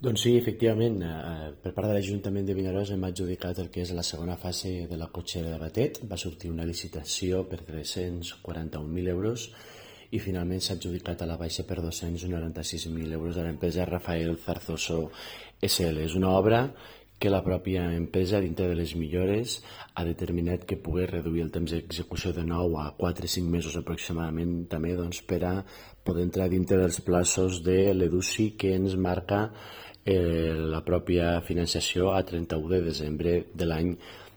Doncs sí, efectivament, per part de l'Ajuntament de Vinaròs hem adjudicat el que és la segona fase de la cotxera de Batet. Va sortir una licitació per 341.000 euros i finalment s'ha adjudicat a la baixa per 296.000 euros de l'empresa Rafael Zarzoso SL. És una obra que la pròpia empresa, dintre de les millores, ha determinat que pugui reduir el temps d'execució de 9 a 4 o 5 mesos aproximadament, també per a poder entrar dintre dels plaços de l'EDUSI que ens marca la pròpia financiació a 31 de desembre de l'any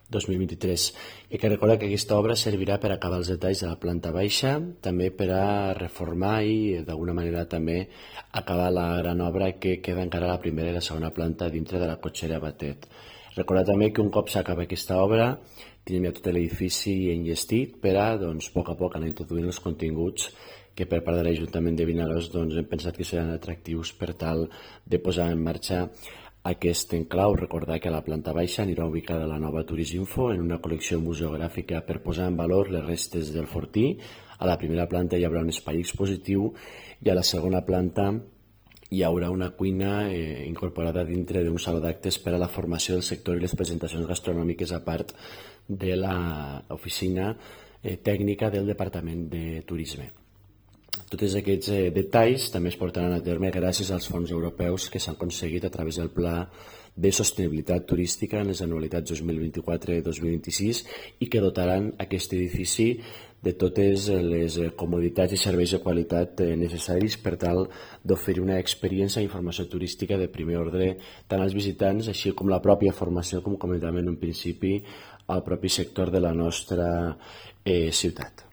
2023. I que recorda que aquesta obra servirà per acabar els detalls de la planta baixa, també per a reformar i d'alguna manera també acabar la gran obra que queda encara a la primera i la segona planta dintre de la cotxera Batet. Recordar també que un cop s'acaba aquesta obra tenim ja tot l'edifici enllestit per a, a poc anar introduint els continguts que per part de l'Ajuntament de Vinaròs hem pensat que seran atractius per tal de posar en marxa aquest enclau. Recordar que a la planta baixa anirà ubicada la nova Turisminfo en una col·lecció museogràfica per posar en valor les restes del fortí. A la primera planta hi haurà un espai expositiu i a la segona planta hi haurà una cuina incorporada dintre d'un saló d'actes per a la formació del sector i les presentacions gastronòmiques a part de l'oficina tècnica del Departament de Turisme. Tots aquests detalls també es portaran a terme gràcies als fons europeus que s'han aconseguit a través del Pla de Sostenibilitat Turística en les anualitats 2024-2026 i que dotaran aquest edifici de totes les comoditats i serveis de qualitat necessaris per tal d'oferir una experiència i informació turística de primer ordre tant als visitants així com la pròpia formació, com comentàvem en un principi, al propi sector de la nostra ciutat.